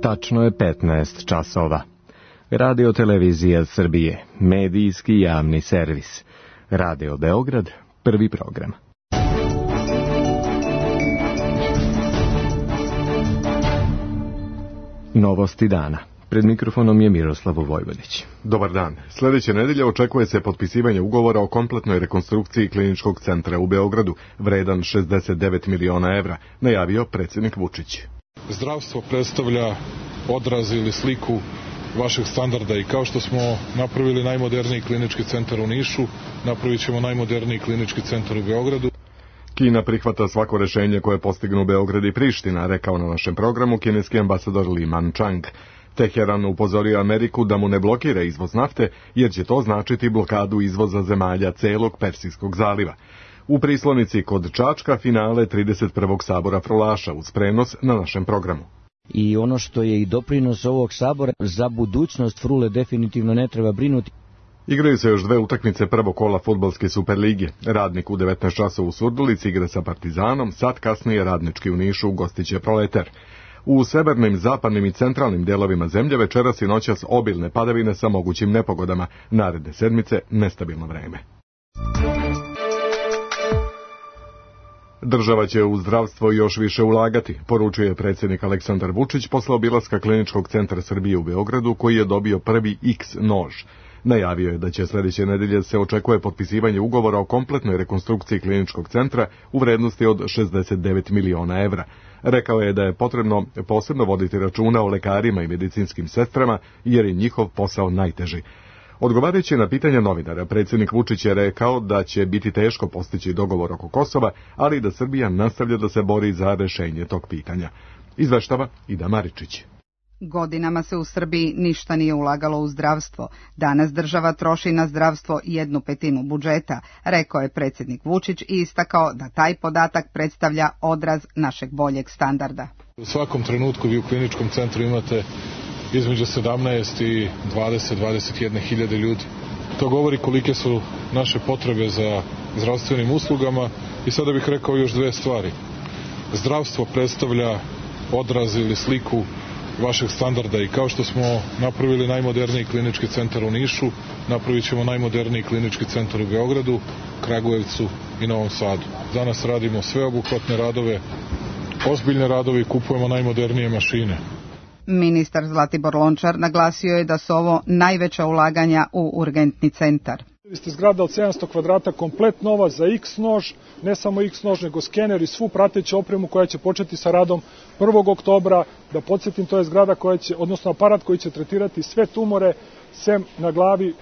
Tačno je 15 časova. Radio Televizija Srbije, medijski javni servis. Radio Beograd, prvi program. Novosti dana. Pred mikrofonom je Miroslav Vojvodić. Dobar dan. Sljedeće nedelje očekuje se potpisivanje ugovora o kompletnoj rekonstrukciji kliničkog centra u Beogradu, vredan 69 miliona evra, najavio predsjednik Vučić. Zdravstvo predstavlja odraz ili sliku vašeg standarda i kao što smo napravili najmoderniji klinički centar u Nišu, napravit ćemo najmoderniji klinički centar u Beogradu. Kina prihvata svako rješenje koje postignu Beograd i Priština, rekao na našem programu kineski ambasador Li Manchang. Teheran upozorio Ameriku da mu ne blokira izvoz nafte, jer će to značiti blokadu izvoza zemalja celog Persijskog zaliva. U Prislonici kod Čačka finale 31. sabora Frolaša uz prenos na našem programu. I ono što je i doprinos ovog sabora, za budućnost Frule definitivno ne treba brinuti. Igraju se još dve utakmice prvog kola fudbalske Superlige. Radnik u 19 časova u Surdulici igra sa Partizanom, sat kasnije Radnički u Nišu gostiće Proletar. U severnim, zapadnim i centralnim delovima zemlje večeras i noćas obilne padavine sa mogućim nepogodama. Naredne sedmice nestabilno vreme. Država će u zdravstvo još više ulagati, poručuje predsjednik Aleksandar Vučić posle obilaska kliničkog centra Srbije u Beogradu, koji je dobio prvi X nož. Najavio je da će sljedeće nedelje se očekuje potpisivanje ugovora o kompletnoj rekonstrukciji kliničkog centra u vrednosti od 69 miliona evra. Rekao je da je potrebno posebno voditi računa o lekarima i medicinskim sestrama, jer je njihov posao najteži. Odgovarajući na pitanja novinara, predsjednik Vučić je rekao da će biti teško postići dogovor oko Kosova, ali da Srbija nastavlja da se bori za rješenje tog pitanja. Izveštava Ida Maričić. Godinama se u Srbiji ništa nije ulagalo u zdravstvo. Danas država troši na zdravstvo 1/5 budžeta, rekao je predsjednik Vučić i istakao da taj podatak predstavlja odraz našeg boljeg standarda. U svakom trenutku vi u kliničkom centru imate između 17 i 20-21 hiljade ljudi. To govori kolike su naše potrebe za zdravstvenim uslugama i sada bih rekao još dve stvari. Zdravstvo predstavlja odraz ili sliku vašeg standarda i kao što smo napravili najmoderniji klinički centar u Nišu, napravit ćemo najmoderniji klinički centar u Beogradu, Kragujevcu i Novom Sadu. Danas radimo sveobuhvatne radove, ozbiljne radove i kupujemo najmodernije mašine. Ministar Zlatibor Lončar naglasio je da su ovo najveća ulaganja u urgentni centar. Zgrada od 700 kvadrata komplet nova za X nož, ne samo X nož nego skener i svu prateću opremu koja će početi sa radom 1. oktobra. Da podsjetim, to je zgrada koja će, odnosno aparat koji će tretirati sve tumore sem na glavi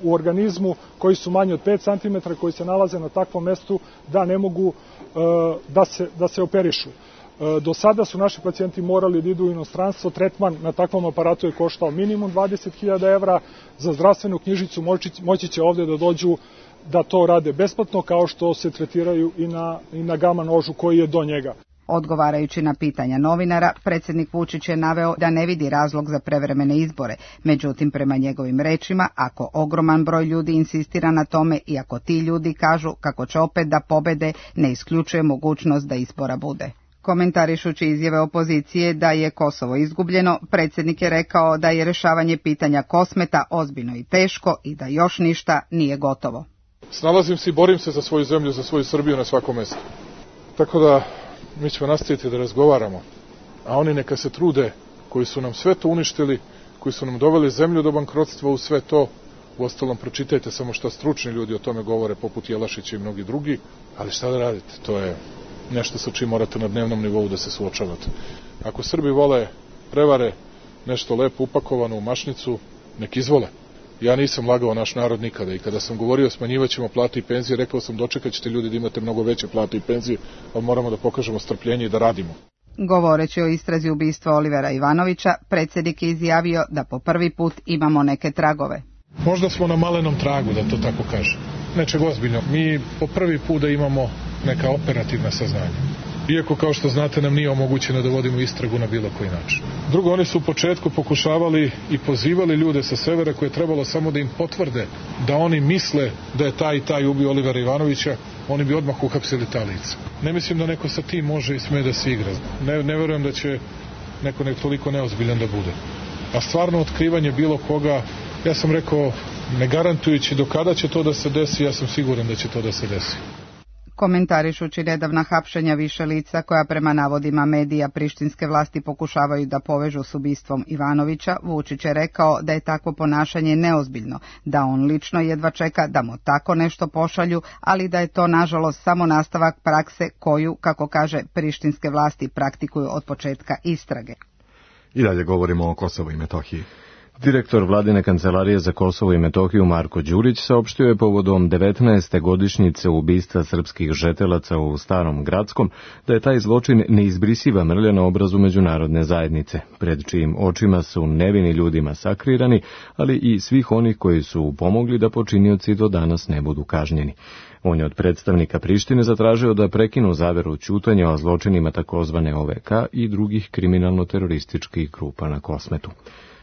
u organizmu koji su manji od 5 cm, koji se nalaze na takvom mestu da ne mogu da se operišu. Do sada su naši pacijenti morali da idu u inostranstvo, tretman na takvom aparatu je koštao minimum 20.000 evra, za zdravstvenu knjižicu moći će ovdje da dođu da to rade besplatno, kao što se tretiraju i na gama nožu koji je do njega. Odgovarajući na pitanja novinara, predsjednik Vučić je naveo da ne vidi razlog za prevremene izbore. Međutim, prema njegovim rečima, ako ogroman broj ljudi insistira na tome i ako ti ljudi kažu kako će opet da pobede, ne isključuje mogućnost da izbora bude. Komentarišući izjave opozicije da je Kosovo izgubljeno, predsjednik je rekao da je rješavanje pitanja Kosmeta ozbiljno i teško i da još ništa nije gotovo. Snalazim se i borim se za svoju zemlju, za svoju Srbiju na svakom mjestu. Tako da mi ćemo nastaviti da razgovaramo, a oni neka se trude koji su nam sve to uništili, koji su nam doveli zemlju do bankrotstva u sve to. Uostalom, pročitajte samo šta stručni ljudi o tome govore, poput Jelašića i mnogi drugi, ali šta da radite, to je nešto sa čim morate na dnevnom nivou da se suočavate. Ako Srbi vole prevare, nešto lepo upakovano u mašnicu, nek izvole. Ja nisam lagao naš narod nikada i kada sam govorio smanjivaćemo plate i penzije, rekao sam dočekat ćete ljudi da imate mnogo veće plate i penzije, ali moramo da pokažemo strpljenje i da radimo. Govoreći o istrazi ubistva Olivera Ivanovića, predsjednik je izjavio da po prvi put imamo neke tragove. Možda smo na malenom tragu, da to tako kažem. Nečeg ozbiljno. Mi po prvi put da imamo neka operativna saznanja. Iako, kao što znate, nam nije omogućeno da vodimo istragu na bilo koji način. Drugo, oni su u početku pokušavali i pozivali ljude sa severa koje je trebalo samo da im potvrde da oni misle da je taj i taj ubio Olivera Ivanovića, oni bi odmah uhapsili ta lica. Ne mislim da neko sa tim može i sme da se igra. Ne verujem da će neko nek toliko neozbiljan da bude. A stvarno otkrivanje bilo koga, ja sam rekao, ne garantujući do kada će to da se desi, ja sam siguran da će to da se desi. Komentarišući nedavna hapšenja više lica koja prema navodima medija prištinske vlasti pokušavaju da povežu s ubistvom Ivanovića, Vučić je rekao da je takvo ponašanje neozbiljno, da on lično jedva čeka da mu tako nešto pošalju, ali da je to nažalost samo nastavak prakse koju, kako kaže, prištinske vlasti praktikuju od početka istrage. I dalje govorimo o Kosovu i Metohiji. Direktor Vladine kancelarije za Kosovo i Metohiju Marko Đurić saopštio je povodom 19. godišnjice ubistva srpskih žetelaca u Starom Gradskom da je taj zločin neizbrisiva mrlja na obrazu međunarodne zajednice, pred čijim očima su nevini ljudi masakrirani, ali i svih onih koji su pomogli da počinioci do danas ne budu kažnjeni. On je od predstavnika Prištine zatražio da prekinu zaveru ćutanja o zločinima takozvane OVK i drugih kriminalno-terorističkih grupa na Kosmetu.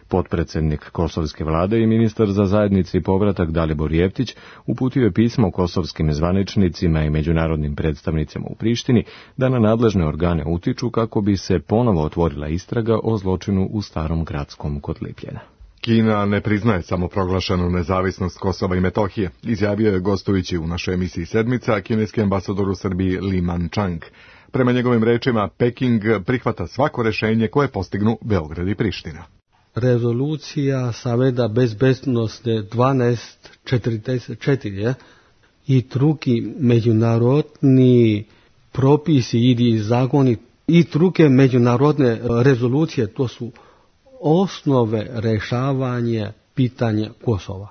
Potpredsednik kosovske vlade i ministar za zajednice i povratak Dalibor Jeftić uputio je pismo kosovskim zvaničnicima i međunarodnim predstavnicima u Prištini da na nadležne organe utiču kako bi se ponovo otvorila istraga o zločinu u Starom Gradskom kod Lipljena. Kina ne priznaje samoproglašenu nezavisnost Kosova i Metohije, izjavio je gostujući u našoj emisiji Sedmica kineski ambasador u Srbiji Li Manchang. Prema njegovim rečima, Peking prihvata svako rešenje koje postignu Beograd i Priština. Rezolucija Saveta bezbednosti 1244 i drugi međunarodni propisi ili zakoni i druge međunarodne rezolucije, to su osnove rešavanja pitanja Kosova.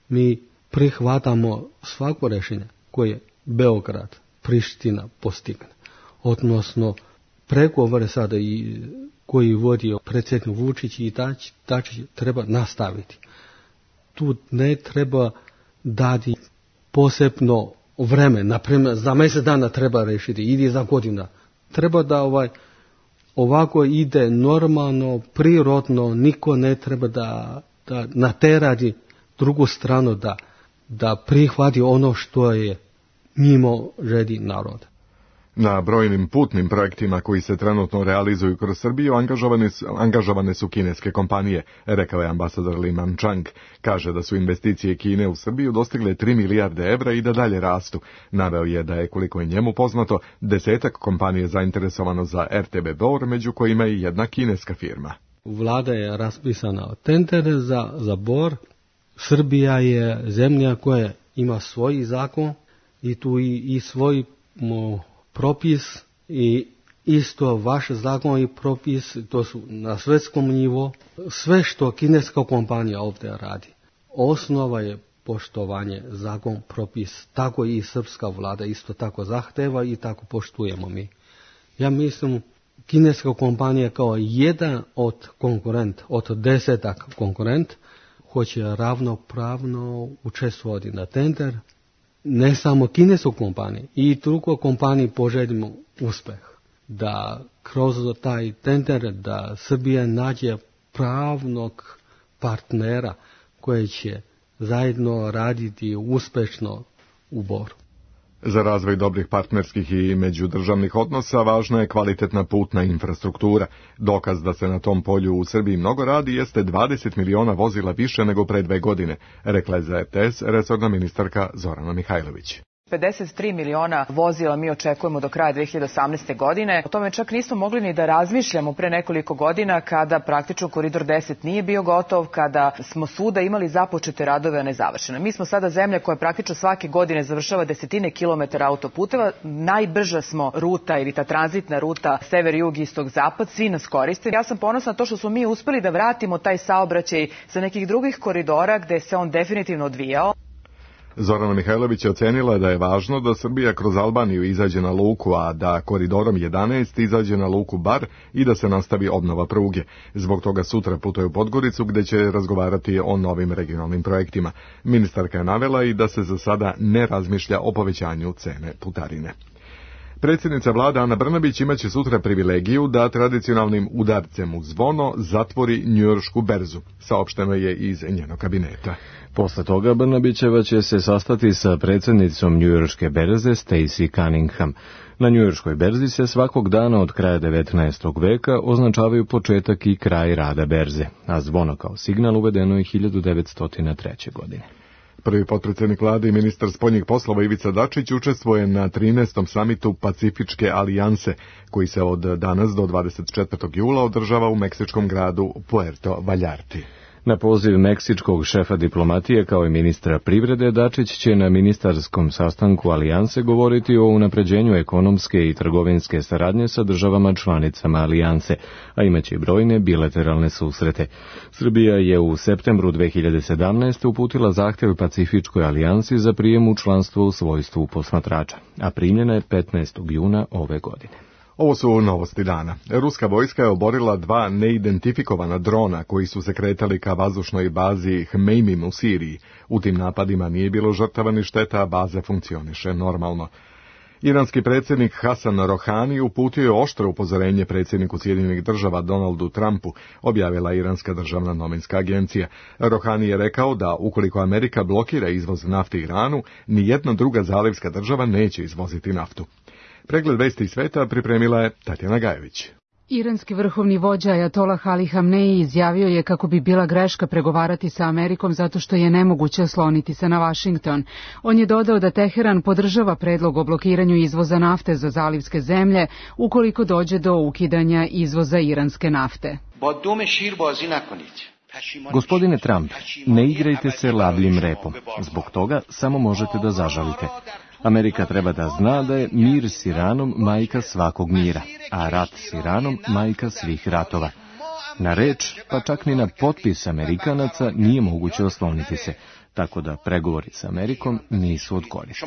Mi prihvatamo svako rešenje koje Beograd, Priština postigne, odnosno pregovore sada i koji vodio predsjednik Vučić i Dačić treba nastaviti. Tu ne treba dati posebno vreme, naprimjer za mjesec dana treba rešiti ili za godina. Treba da ovako ide normalno, prirodno, niko ne treba da naterati drugu stranu da prihvati ono što je mimo želji naroda. Na brojnim putnim projektima koji se trenutno realizuju kroz Srbiju angažovane su kineske kompanije, rekao je ambasador Li Manchang. Kaže da su investicije Kine u Srbiju dostigle 3 milijarde evra i da dalje rastu. Naveo je da je, koliko je njemu poznato, 10 kompanije zainteresovano za RTB Bor, među kojima i jedna kineska firma. Vlada je raspisana tender za Bor. Srbija je zemlja koja ima svoj zakon i tu i svoj propis i isto vaš zakon i propis, to su na svjetskom nivou. Sve što kineska kompanija ovdje radi, osnova je poštovanje zakon, propis, tako i srpska vlada isto tako zahteva i tako poštujemo mi. Ja mislim, kineska kompanija kao jedan od konkurent, od 10 konkurent, hoće ravnopravno učestvovati na tender. Ne samo kinesku kompaniju, i drugo kompaniji poželimo uspeh. Da kroz taj tender da Srbija nađe pravnog partnera koji će zajedno raditi uspešno u Boru. Za razvoj dobrih partnerskih i međudržavnih odnosa važna je kvalitetna putna infrastruktura. Dokaz da se na tom polju u Srbiji mnogo radi jeste 20 miliona vozila više nego pre 2 godine, rekla je za RTS resorna ministarka Zorana Mihajlović. 53 miliona vozila mi očekujemo do kraja 2018. godine. O tome čak nismo mogli ni da razmišljamo pre nekoliko godina kada praktično Koridor 10 nije bio gotov, kada smo svuda imali započete radove, a ne završene. Mi smo sada zemlja koja praktično svake godine završava desetine kilometara autoputeva. Najbrža smo ruta ili ta tranzitna ruta sever, jug, istok, zapad. Svi nas koriste. Ja sam ponosna na to što smo mi uspeli da vratimo taj saobraćaj sa nekih drugih koridora gde se on definitivno odvijao. Zorana Mihajlović je ocenila da je važno da Srbija kroz Albaniju izađe na luku, a da koridorom 11 izađe na luku Bar i da se nastavi obnova pruge. Zbog toga sutra putuje u Podgoricu gde će razgovarati o novim regionalnim projektima. Ministarka je navela i da se za sada ne razmišlja o povećanju cene putarine. Predsjednica vlade Ana Brnabić imaće sutra privilegiju da tradicionalnim udarcem u zvono zatvori njujoršku berzu, saopšteno je iz njenog kabineta. Posle toga Brnabićeva će se sastati sa predsjednicom njujorške berze Stacey Cunningham. Na njujorškoj berzi se svakog dana od kraja 19. veka označavaju početak i kraj rada berze, a zvono kao signal uvedeno je 1903. godine. Prvi potpredsjednik vlade i ministar spoljnih poslova Ivica Dačić učestvuje na 13. samitu Pacifičke alijanse, koji se od danas do 24. jula održava u meksičkom gradu Puerto Vallarti. Na poziv meksičkog šefa diplomatije kao i ministra privrede, Dačić će na ministarskom sastanku alijanse govoriti o unapređenju ekonomske i trgovinske saradnje sa državama članicama alijanse, a imaće i brojne bilateralne susrete. Srbija je u septembru 2017. uputila zahtjev Pacifičkoj alijansi za prijem u članstvo u svojstvu posmatrača, a primljena je 15. juna ove godine. Ovo su novosti dana. Ruska vojska je oborila 2 neidentifikovana drona koji su se kretali ka vazdušnoj bazi Hmeimim u Siriji. U tim napadima nije bilo žrtava ni šteta, a baza funkcioniše normalno. Iranski predsjednik Hasan Rohani uputio je oštro upozorenje predsjedniku Sjedinjenih država Donaldu Trumpu, objavila Iranska državna novinska agencija. Rohani je rekao da ukoliko Amerika blokira izvoz nafte Iranu, nijedna druga zalivska država neće izvoziti naftu. Pregled vesti iz sveta pripremila je Tatjana Gajević. Iranski vrhovni vođa Ajatolah Ali Hamneji izjavio je kako bi bila greška pregovarati sa Amerikom zato što je nemoguće osloniti se na Vašington. On je dodao da Teheran podržava predlog o blokiranju izvoza nafte za zalivske zemlje ukoliko dođe do ukidanja izvoza iranske nafte. Gospodine Trump, ne igrajte se lavljim repom. Zbog toga samo možete da zažalite. Amerika treba da zna da je mir s Iranom majka svakog mira, a rat s Iranom majka svih ratova. Na reč, pa čak ni na potpis Amerikanaca nije moguće osloniti se, tako da pregovori s Amerikom nisu od koristi.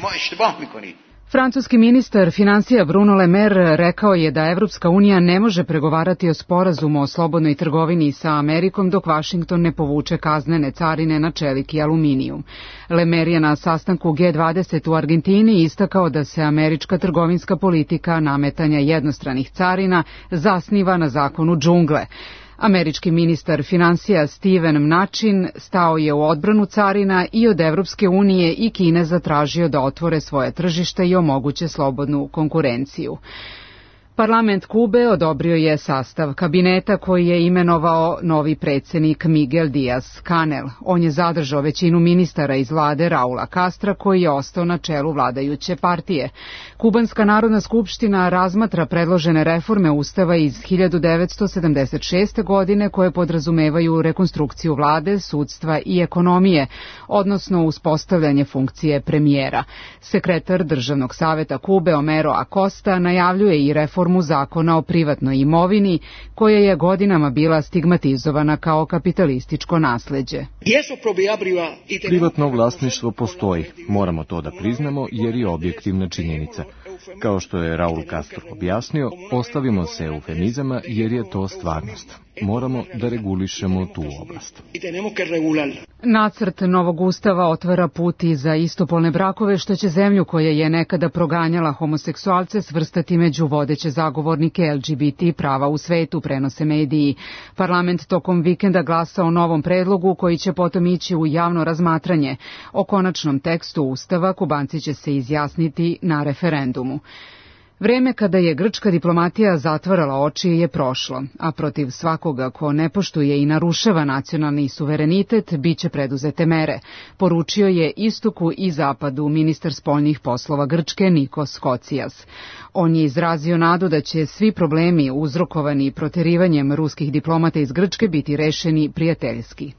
Francuski ministar financija Bruno Le Maire rekao je da Evropska unija ne može pregovarati o sporazumu o slobodnoj trgovini sa Amerikom dok Vašington ne povuče kaznene carine na čelik i aluminijum. Le Maire je na sastanku G20 u Argentini istakao da se američka trgovinska politika nametanja jednostranih carina zasniva na zakonu džungle. Američki ministar financija Steven Mnuchin stao je u odbranu carina i od Evropske unije i Kine zatražio da otvore svoje tržište i omoguće slobodnu konkurenciju. Parlament Kube odobrio je sastav kabineta koji je imenovao novi predsjednik Miguel Díaz-Canel. On je zadržao većinu ministara iz vlade Raula Castra koji je ostao na čelu vladajuće partije. Kubanska narodna skupština razmatra predložene reforme ustava iz 1976. godine koje podrazumevaju rekonstrukciju vlade, sudstva i ekonomije, odnosno uspostavljanje funkcije premijera. Sekretar Državnog saveta Kube Homero Acosta najavljuje i reformu zakona o privatnoj imovini, koja je godinama bila stigmatizovana kao kapitalističko nasleđe. Privatno vlasništvo postoji, moramo to da priznamo jer je objektivna činjenica. Kao što je Raul Castro objasnio, ostavimo se eufemizama jer je to stvarnost. Moramo da regulišemo tu oblast. Nacrt novog ustava otvara put i za istopolne brakove, što će zemlju koja je nekada proganjala homoseksualce svrstati među vodeće zagovornike LGBT prava u svetu, prenose mediji. Parlament tokom vikenda glasa o novom predlogu koji će potom ići u javno razmatranje. O konačnom tekstu ustava Kubanci će se izjasniti na referendumu. Vreme kada je grčka diplomatija zatvarala oči je prošlo, a protiv svakoga ko ne poštuje i narušava nacionalni suverenitet biće preduzete mere, poručio je istoku i zapadu ministar spoljnih poslova Grčke Nikos Kocijas. On je izrazio nadu da će svi problemi uzrokovani proterivanjem ruskih diplomata iz Grčke biti rešeni prijateljski.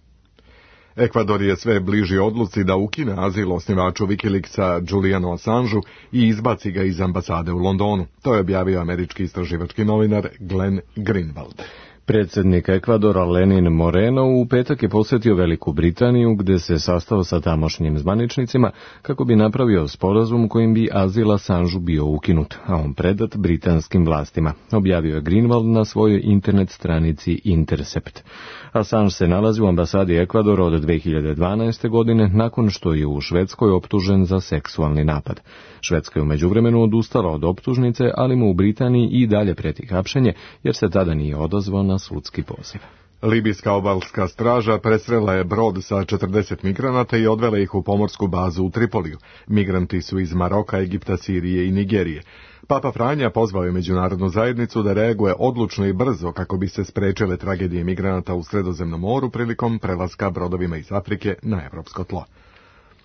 Ekvador je sve bliži odluci da ukine azil osnivaču Wikileaksa Julianu Assangeu i izbaci ga iz ambasade u Londonu. To je objavio američki istraživački novinar Glenn Greenwald. Predsjednik Ekvadora Lenin Moreno u petak je posjetio Veliku Britaniju gdje se sastao sa tamošnjim zvaničnicima kako bi napravio sporazum kojim bi azil Assangeu bio ukinut, a on predat britanskim vlastima, objavio je Greenwald na svojoj internet stranici Intercept. Assange se nalazi u ambasadi Ekvadora od 2012. godine nakon što je u Švedskoj optužen za seksualni napad. Švedska je u međuvremenu odustala od optužnice, ali mu u Britaniji i dalje prijeti hapšenje jer se tada nije odazvao na sudski poziv. Libijska obalska straža presrela je brod sa 40 migranata i odvela ih u pomorsku bazu u Tripoliju. Migranti su iz Maroka, Egipta, Sirije i Nigerije. Papa Franja pozvao je međunarodnu zajednicu da reaguje odlučno i brzo kako bi se sprečile tragedije migranata u Sredozemnom moru prilikom prelaska brodovima iz Afrike na evropsko tlo.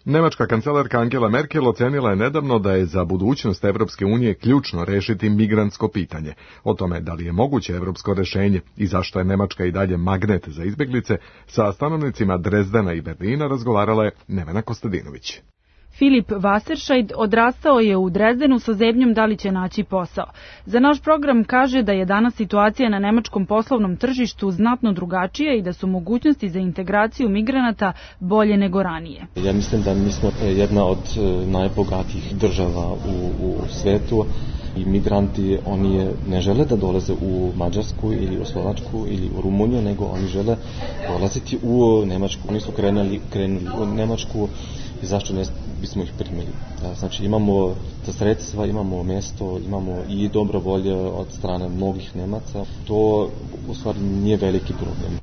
Nemačka kancelarka Angela Merkel ocenila je nedavno da je za budućnost Evropske unije ključno rešiti migrantsko pitanje. O tome da li je moguće evropsko rešenje i zašto je Nemačka i dalje magnet za izbeglice, sa stanovnicima Drezdena i Berlina razgovarala je Nevena Kostadinović. Filip Wasserscheid odrastao je u Drezdenu sa zebnjom da li će naći posao. Za naš program kaže da je danas situacija na nemačkom poslovnom tržištu znatno drugačija i da su mogućnosti za integraciju migranata bolje nego ranije. Ja mislim da mi smo jedna od najbogatijih država u svetu i migranti oni ne žele da dolaze u Mađarsku ili u Slovačku ili u Rumuniju, nego oni žele dolaziti u Nemačku. Oni su krenuli u Nemačku i zašto ne bismo ih primili. Znači imamo ta sredstva, imamo mjesto, imamo i dobro volje od strane mnogih Nemaca. To u stvari nije veliki problem.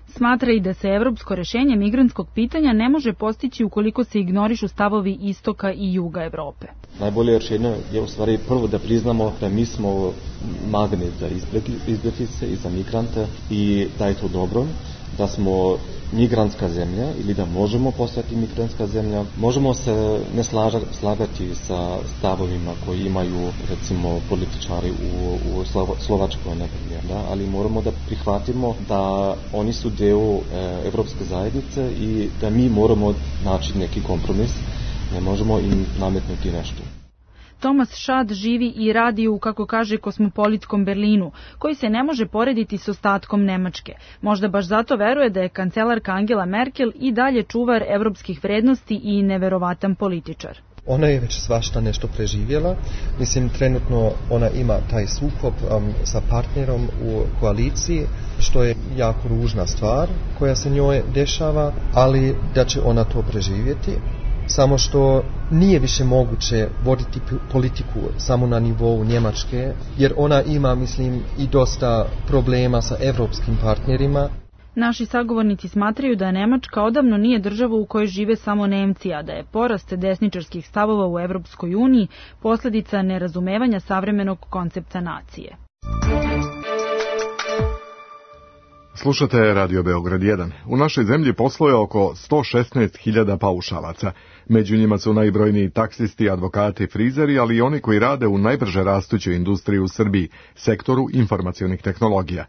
Smatra i da se evropsko rešenje migrantskog pitanja ne može postići ukoliko se ignorišu stavovi istoka i juga Evrope. Najbolje rešenje je u stvari prvo da priznamo da mi smo magnet za izbjeglice i za migrante i da je to dobro, da smo migrantska zemlja ili da možemo postati migrantska zemlja. Možemo se ne slagati sa stavovima koji imaju recimo političari u Slovačkoj, da? Ali moramo da prihvatimo da oni su deo Evropske zajednice i da mi moramo naći neki kompromis. Ne možemo im nametnuti nešto. Thomas Schad živi i radi u, kako kaže, kosmopolitskom Berlinu, koji se ne može porediti s ostatkom Nemačke. Možda baš zato veruje da je kancelarka Angela Merkel i dalje čuvar evropskih vrednosti i neverovatan političar. Ona je već svašta nešto preživjela. Mislim, trenutno ona ima taj sukob sa partnerom u koaliciji, što je jako ružna stvar koja se njoj dešava, ali da će ona to preživjeti. Samo što nije više moguće voditi politiku samo na nivou Njemačke, jer ona ima, mislim, i dosta problema sa evropskim partnerima. Naši sagovornici smatraju da Nemačka odavno nije država u kojoj žive samo Nemci, a da je porast desničarskih stavova u Evropskoj uniji posljedica nerazumevanja savremenog koncepta nacije. Slušate Radio Beograd 1. U našoj zemlji posluje oko 116.000 paušalaca. Među njima su najbrojniji taksisti, advokati, frizeri, ali i oni koji rade u najbrže rastućoj industriji u Srbiji, sektoru informacionih tehnologija.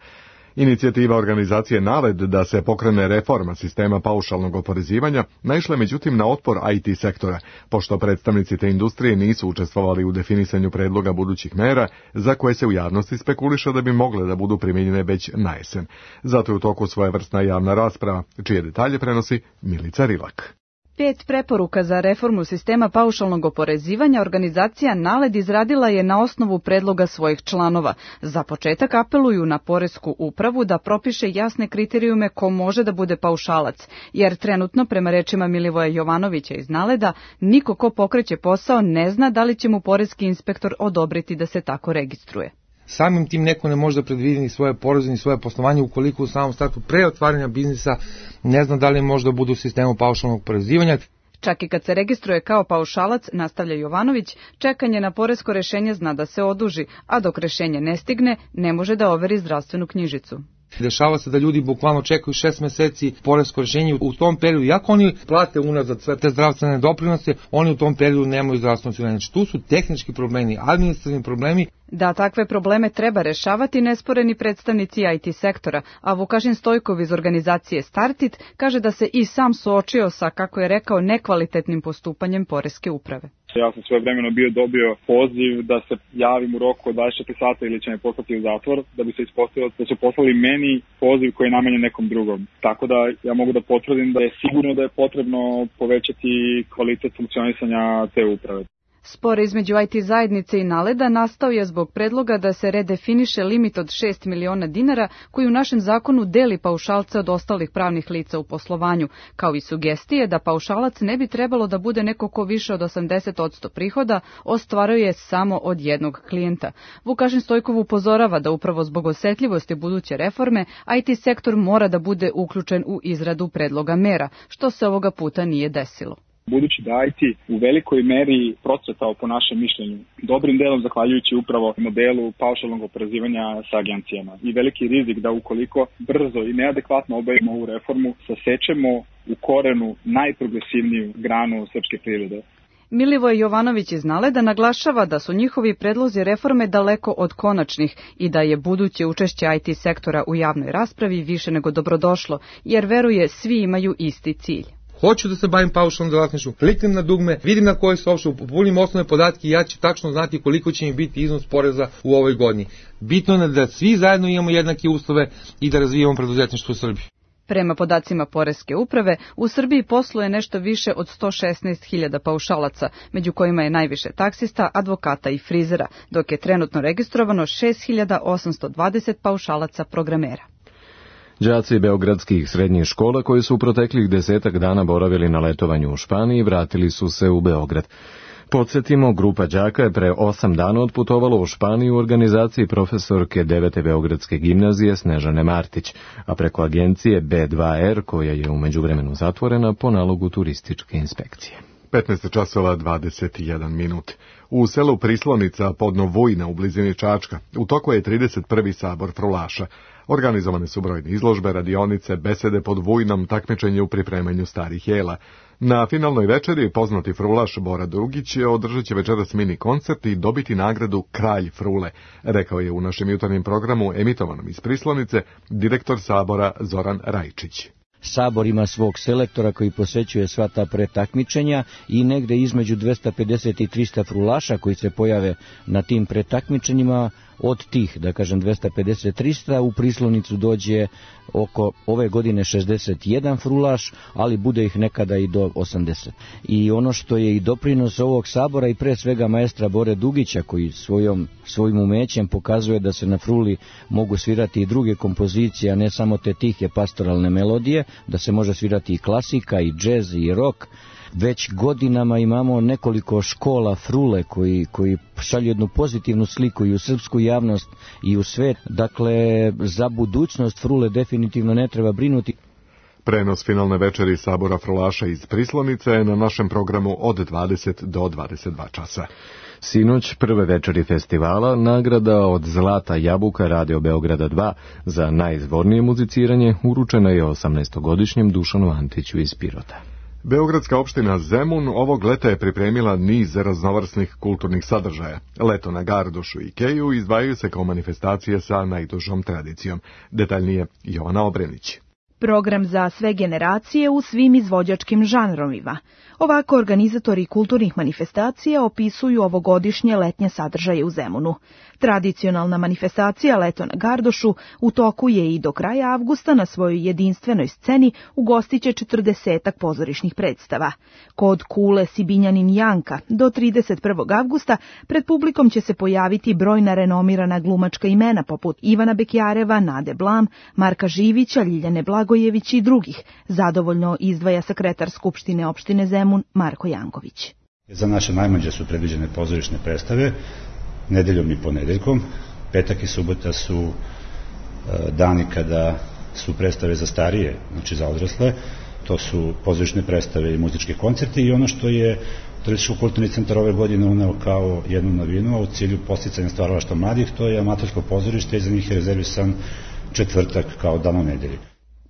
Inicijativa organizacije NALED da se pokrene reforma sistema paušalnog oporezivanja naišla međutim na otpor IT sektora, pošto predstavnici te industrije nisu učestvovali u definisanju predloga budućih mera za koje se u javnosti spekuliše da bi mogle da budu primijenjene već na jesen. Zato je u toku svojevrsna javna rasprava, čije detalje prenosi Milica Rilak. 5 preporuka za reformu sistema paušalnog oporezivanja organizacija NALED izradila je na osnovu predloga svojih članova. Za početak apeluju na poresku upravu da propiše jasne kriterijume ko može da bude paušalac, jer trenutno, prema rečima Milivoja Jovanovića iz NALED-a, niko ko pokreće posao ne zna da li će mu poreski inspektor odobriti da se tako registruje. Samim tim neko ne može da predvidi ni svoje poreze ni svoje poslovanje ukoliko u samom startu pre otvaranja biznisa ne zna da li može da bude u sistemu paušalnog oporezivanja. Čak i kad se registruje kao paušalac, nastavlja Jovanović, čekanje na poresko rešenje zna da se oduži, a dok rešenje ne stigne, ne može da overi zdravstvenu knjižicu. Dešava se da ljudi bukvalno čekaju 6 meseci poresko rešenje u tom periodu. Iako oni plate unazad sve te zdravstvene doprinose, oni u tom periodu nemaju zdravstveno osiguranje. Znači, tu su tehnički problemi, administrativni problemi. Da takve probleme treba rešavati nesporeni predstavnici IT sektora, a Vukašin Stojkov iz organizacije Startit kaže da se i sam suočio sa, kako je rekao, nekvalitetnim postupanjem poreske uprave. Ja sam svoje vremeno dobio poziv da se javim u roku od 24 sata ili će me poslati u zatvor, da bi se ispostavilo da su poslali meni poziv koji je namenjen nekom drugom. Tako da ja mogu da potvrdim da je sigurno da je potrebno povećati kvalitet funkcionisanja te uprave. Spor između IT zajednice i Naleda nastao je zbog predloga da se redefiniše limit od 6 miliona dinara koji u našem zakonu deli paušalca od ostalih pravnih lica u poslovanju, kao i sugestije da paušalac ne bi trebalo da bude neko ko više od 80% prihoda ostvaruje samo od jednog klijenta. Vukašin Stojkov upozorava da upravo zbog osetljivosti buduće reforme IT sektor mora da bude uključen u izradu predloga mera, što se ovoga puta nije desilo. Budući da IT u velikoj meri procvetao po našem mišljenju, dobrim delom zahvaljujući upravo modelu paušalnog oporezivanja sa agencijama i veliki rizik da ukoliko brzo i neadekvatno obavimo ovu reformu, sasečemo u korenu najprogresivniju granu srpske privrede. Milivoj Jovanović iz Naleda naglašava da su njihovi predlozi reforme daleko od konačnih i da je buduće učešće IT sektora u javnoj raspravi više nego dobrodošlo, jer veruje svi imaju isti cilj. Hoću da se bavim paušalnom delatnošću, kliknem na dugme, vidim na koje se uopšte popunim osnovne podatke i ja ću tačno znati koliko će mi biti iznos poreza u ovoj godini. Bitno je da svi zajedno imamo jednake uslove i da razvijamo preduzetništvo u Srbiji. Prema podacima Poreske uprave, u Srbiji posluje nešto više od 116.000 paušalaca, među kojima je najviše taksista, advokata i frizera, dok je trenutno registrovano 6.820 paušalaca programera. Đaci beogradskih srednjih škola koji su u proteklih 10 dana boravili na letovanju u Španiji vratili su se u Beograd. Podsjetimo, grupa đaka je pre 8 dana otputovala u Španiju u organizaciji profesorke 9. Beogradske gimnazije Snežane Martić, a preko agencije B2R koja je u međuvremenu zatvorena po nalogu turističke inspekcije. 15:21. U selu Prislonica podno Vujna u blizini Čačka u toku je 31. sabor frulaša. Organizovane su brojne izložbe, radionice, besede pod Vujnom, takmičenje u pripremanju starih jela. Na finalnoj večeri poznati frulaš Bora Dugić održat će večeras mini koncert i dobiti nagradu Kralj frule, rekao je u našem jutarnjem programu emitovanom iz Prislonice direktor sabora Zoran Rajčić. Sabor ima svog selektora koji posećuje sva ta pretakmičenja i negde između 250 i 300 frulaša koji se pojave na tim pretakmičenjima. Od tih, da kažem, 250-300 u Prislonicu dođe oko ove godine 61 frulaš, ali bude ih nekada i do 80. I ono što je i doprinos ovog sabora i pre svega maestra Bore Dugića, koji svojim umećem pokazuje da se na fruli mogu svirati i druge kompozicije, a ne samo te tihe pastoralne melodije, da se može svirati i klasika, i džez, i rock. Već godinama imamo nekoliko škola frule koji šalju jednu pozitivnu sliku i u srpsku javnost i u svet. Dakle, za budućnost frule definitivno ne treba brinuti. Prenos finalne večeri sabora frulaša iz Prislonice je na našem programu od 20 do 22 časa. Sinoć prve večeri festivala nagrada od Zlata jabuka Radio Beograda 2 za najizvornije muziciranje uručena je 18-godišnjem Dušanu Antiću iz Pirota. Beogradska opština Zemun ovog leta je pripremila niz raznovrsnih kulturnih sadržaja. Leto na Gardošu i Keju izdvajaju se kao manifestacije sa najdužom tradicijom. Detaljnije Jovana Obrenić. Program za sve generacije u svim izvođačkim žanrovima. Ovako organizatori kulturnih manifestacija opisuju ovogodišnje letnje sadržaje u Zemunu. Tradicionalna manifestacija Leto na Gardošu u toku je i do kraja avgusta na svojoj jedinstvenoj sceni ugostiće 40 pozorišnih predstava. Kod Kule Sibinjanin Janka do 31. avgusta pred publikom će se pojaviti brojna renomirana glumačka imena poput Ivana Bekjareva, Nade Blam, Marka Živića, Ljiljane Blagojević i drugih, zadovoljno izdvaja sekretar Skupštine opštine Zemun Marko Janković. Za naše najmlađe su predviđene pozorišne predstave nedeljom i ponedeljkom. Petak i subota su dani kada su predstave za starije, znači za odrasle. To su pozorišne predstave i muzički koncerti i ono što je Turističko-kulturni centar ove godine uneo kao jednu novinu, a u cilju podsticanja stvaralaštva mladih, to je amatorsko pozorište i za njih je rezervisan četvrtak kao dan u nedelji.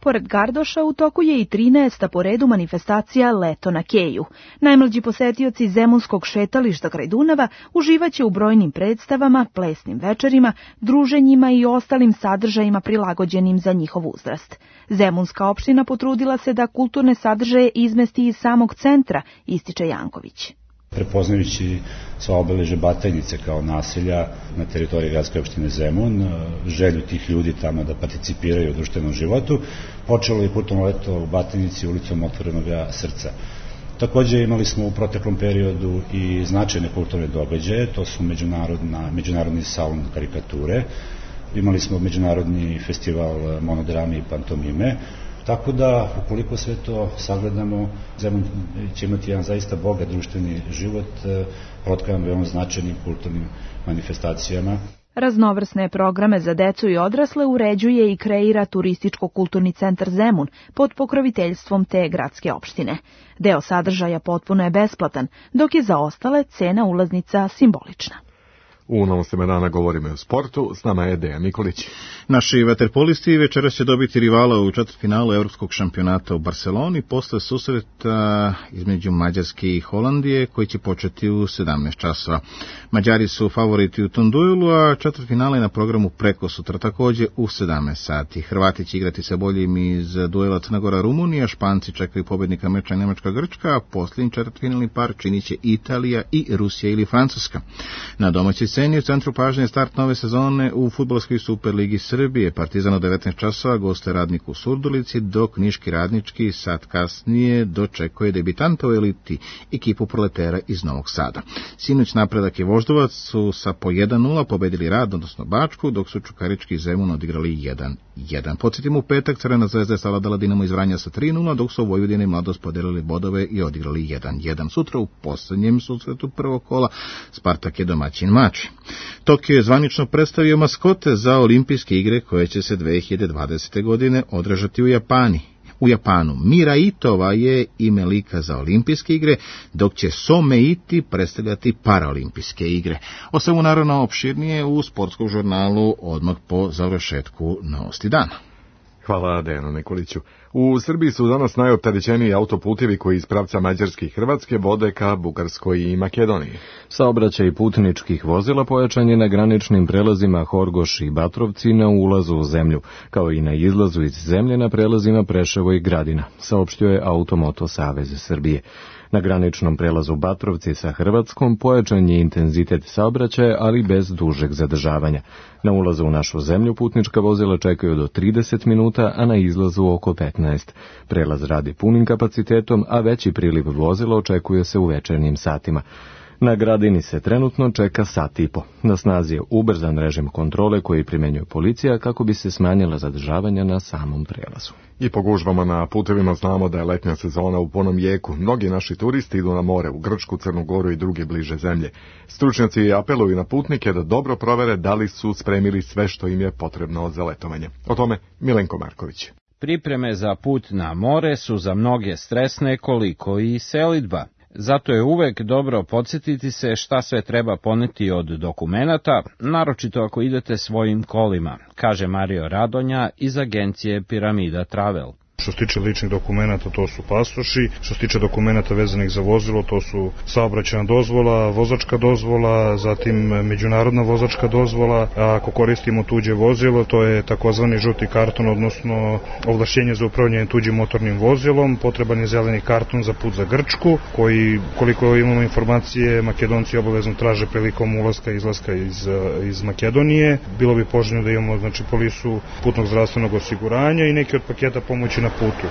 Pored Gardoša u toku je i 13. po redu manifestacija Leto na Keju. Najmlađi posetioci Zemunskog šetališta kraj Dunava uživaće u brojnim predstavama, plesnim večerima, druženjima i ostalim sadržajima prilagođenim za njihov uzrast. Zemunska opština potrudila se da kulturne sadržaje izmesti iz samog centra, ističe Janković. Prepoznajući sva obeležja Batajnice kao naselja na teritoriji gradske opštine Zemun, želju tih ljudi tamo da participiraju u društvenom životu, počelo je kulturno leto u Batajnici ulicom Otvorenog srca. Takođe imali smo u proteklom periodu i značajne kulturne događaje, to su međunarodni salon karikature, imali smo međunarodni festival monodrame i pantomime, tako da ukoliko sve to sagledamo, Zemun će imati jedan zaista bogat društveni život, protkavan veoma značajnim kulturnim manifestacijama. Raznovrsne programe za decu i odrasle uređuje i kreira Turističko-kulturni centar Zemun pod pokroviteljstvom te gradske opštine. Deo sadržaja potpuno je besplatan, dok je za ostale cena ulaznica simbolična. U Novostima dana govorimo o sportu, s nama je Dejan Nikolić. Naši vaterpolisti večeras će dobiti rivala u četvrtfinalu Evropskog šampionata u Barseloni posle susreta između Mađarske i Holandije koji će početi u 17 časova. Mađari su favoriti u tom duelu, a četvrtfinale je na programu preko sutra takođe u 17 sati. Hrvati će igrati sa boljim iz duela Crna Gora-Rumunija, Španci čekaju pobednika meča Nemačka-Grčka, a posljednji četvrtfinalni par činit će Italija i Rusija ili Francuska. Na domaćoj sceni u centru pažnje start nove sezone u fudbalskoj Superligi Srbije. Partizan od 19 časova goste Radnik u Surdulici, dok Niški Radnički sat kasnije dočekuje debitanta u eliti ekipu Proletera iz Novog Sada. Sinoć Napredak i Voždovac su sa po 1-0 pobedili Rad, odnosno Bačku, dok su Čukarički i Zemun odigrali 1-1. Podsjetimo, u petak Crvena zvezda je savladala Dinamo iz Vranja sa 3-0, dok su Vojvodina i Mladost podelili bodove i odigrali 1-1. Sutra u poslednjem susretu prvog kola Spartak je domaćin Mačvi. Tokio je zvanično predstavio maskote za olimpijske igre koje će se 2020. godine održati u Japanu. Mira Itova je ime lika za olimpijske igre, dok će Some Iti predstavljati paraolimpijske igre. O svemu naravno opširnije u sportskom žurnalu odmah po završetku novosti dana. Hvala Dejanu Nikoliću. U Srbiji su danas najopterećeniji autoputevi koji iz pravca Mađarske i Hrvatske vode ka Bugarskoj i Makedoniji. Saobraćaj putničkih vozila pojačan je na graničnim prelazima Horgoš i Batrovci na ulazu u zemlju, kao i na izlazu iz zemlje na prelazima Preševo i Gradina, saopštio je Automoto Savez Srbije. Na graničnom prelazu Batrovci sa Hrvatskom pojačan je intenzitet saobraćaja, ali bez dužeg zadržavanja. Na ulazu u našu zemlju putnička vozila čekaju do 30 minuta, a na izlazu oko 15. Prelaz radi punim kapacitetom, a veći priliv vozila očekuje se u večernjim satima. Na Gradini se trenutno čeka sat i po. Na snazi je ubrzan režim kontrole koji primenjuje policija kako bi se smanjila zadržavanja na samom prelazu. I po gužvama na putevima znamo da je letnja sezona u punom jeku. Mnogi naši turisti idu na more, u Grčku, Crnu Goru i druge bliže zemlje. Stručnjaci apeluju na putnike da dobro provere da li su spremili sve što im je potrebno za letovanje. O tome Milenko Marković. Pripreme za put na more su za mnoge stresne koliko i selidba. Zato je uvek dobro podsjetiti se šta sve treba poneti od dokumenata, naročito ako idete svojim kolima, kaže Mario Radonja iz agencije Piramida Travel. Što se tiče ličnih dokumenata, to su pasoši, što se tiče dokumenata vezanih za vozilo, to su saobraćajna dozvola, vozačka dozvola, zatim međunarodna vozačka dozvola, a ako koristimo tuđe vozilo, to je takozvani žuti karton, odnosno ovlašćenje za upravljanje tuđim motornim vozilom, potreban je zeleni karton za put za Grčku, koji, koliko imamo informacije, Makedonci obavezno traže prilikom ulaska i izlaska iz Makedonije. Bilo bi poželjno da imamo polisu putnog zdravstvenog osiguranja i neki od paketa pomoći na putu.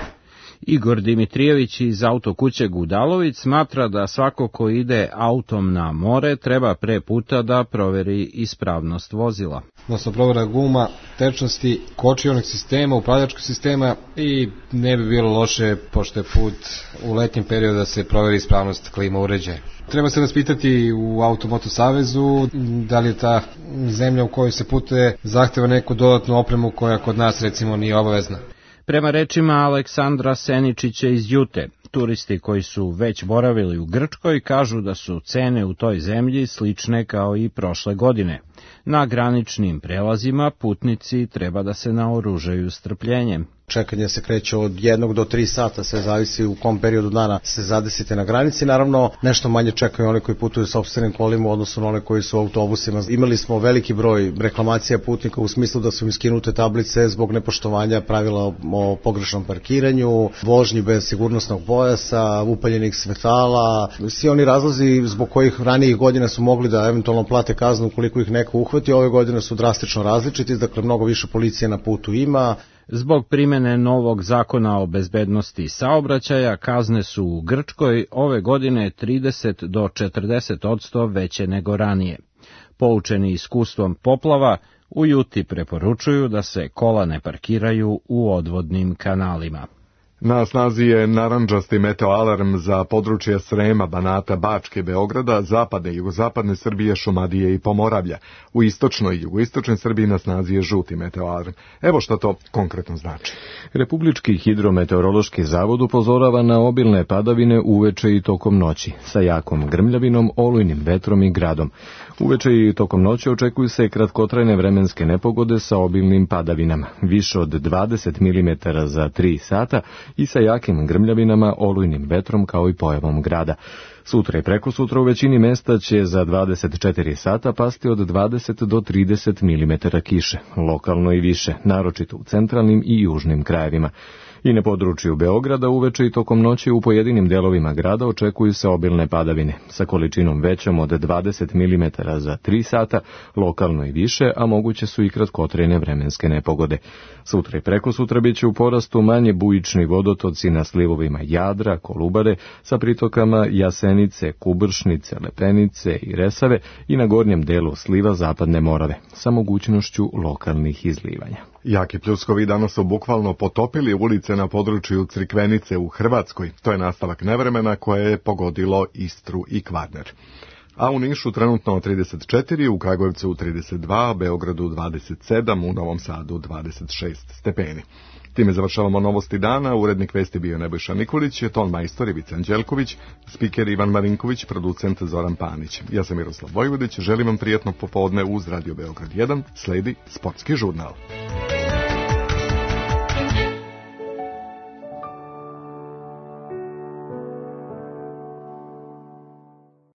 Igor Dimitrijević iz autokuće Gudalović smatra da svako ko ide autom na more treba pre puta da proveri ispravnost vozila. Odnosno provera guma, tečnosti, kočionih sistema, upravljačkog sistema i ne bi bilo loše, pošto je put u letnjem periodu, da se proveri ispravnost klima uređaja. Treba se raspitati u Automoto Savezu da li je ta zemlja u kojoj se putuje zahteva neku dodatnu opremu koja kod nas recimo nije obavezna. Prema rečima Aleksandra Seničića iz Jute, turisti koji su već boravili u Grčkoj kažu da su cene u toj zemlji slične kao i prošle godine. Na graničnim prelazima putnici treba da se naoružaju strpljenjem. Čekanje se kreće od 1 do 3 sata, sve zavisi u kom periodu dana se zadesite na granici. Naravno, nešto manje čekaju oni koji putuju sopstvenim kolima u odnosu na one koji su u autobusima. Imali smo veliki broj reklamacija putnika u smislu da su im skinute tablice zbog nepoštovanja pravila o pogrešnom parkiranju, vožnji bez sigurnosnog pojasa, upaljenih svetala. Svi oni razlozi zbog kojih ranijih godina su mogli da eventualno plate kaznu ukoliko ih neko uhvati, ove godine su drastično različiti, dakle mnogo više policije na putu ima. Zbog primene novog zakona o bezbednosti saobraćaja, kazne su u Grčkoj ove godine 30 do 40% veće nego ranije. Poučeni iskustvom poplava, u Juti preporučuju da se kola ne parkiraju u odvodnim kanalima. Na snazi je narandžasti meteoalarm za područje Srema, Banata, Bačke, Beograda, zapadne i jugozapadne Srbije, Šumadije i Pomoravlja. U istočnoj i jugoistočnoj Srbiji na snazi je žuti meteoalarm. Evo šta to konkretno znači. Republički hidrometeorološki zavod upozorava na obilne padavine uveče i tokom noći, sa jakom grmljavinom, olujnim vetrom i gradom. Uveče i tokom noći očekuju se kratkotrajne vremenske nepogode sa obilnim padavinama, više od 20 mm za 3 sata i sa jakim grmljavinama, olujnim vetrom kao i pojavom grada. Sutra i prekosutra u većini mesta će za 24 sata pasti od 20 do 30 mm kiše, lokalno i više, naročito u centralnim i južnim krajevima. I na području Beograda uveče i tokom noći u pojedinim delovima grada očekuju se obilne padavine, sa količinom većom od 20 mm za 3 sata, lokalno i više, a moguće su i kratkotrajne vremenske nepogode. Sutra i prekosutra bit će u porastu manje bujični vodotoci na slivovima Jadra, Kolubare, sa pritokama Jasenice, Kubršnice, Lepenice i Resave i na gornjem delu sliva Zapadne Morave, sa mogućnošću lokalnih izlivanja. Jaki pljuskovi danas su bukvalno potopili ulice na području Crikvenice u Hrvatskoj. To je nastavak nevremena koje je pogodilo Istru i Kvarner. A u Nišu trenutno 34, u Kragujevcu 32, Beogradu 27, u Novom Sadu 26 stepeni. Time završavamo novosti dana. Urednik vesti bio Nebojša Nikolić, ton majstor Ivica Anđelković, spiker Ivan Marinković, producent Zoran Panić. Ja sam Miroslav Vojvodić, želim vam prijatno popodne uz Radio Beograd 1, sledi Sportski žurnal.